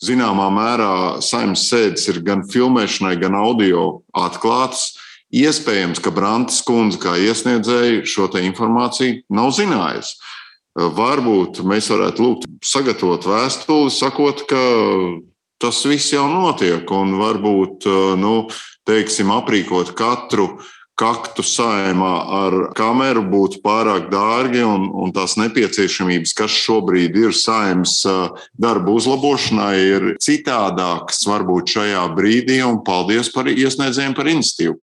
zināmā mērā Saeimas sēdes ir gan filmēšanai, gan audio atklātas. Iespējams, ka Brantas kundze kā iesniedzēja šo te informāciju nav zinājusi. Varbūt mēs varētu lūgt sagatavot vēstuli, sakot, ka tas viss jau notiek un varbūt, aprīkot katru kaktu Saeimā ar kameru būtu pārāk dārgi un tās nepieciešamības, kas šobrīd ir Saeimas darba uzlabošanai, ir citādākas varbūt šajā brīdī, un paldies par iesniedzējiem par iniciatīvu.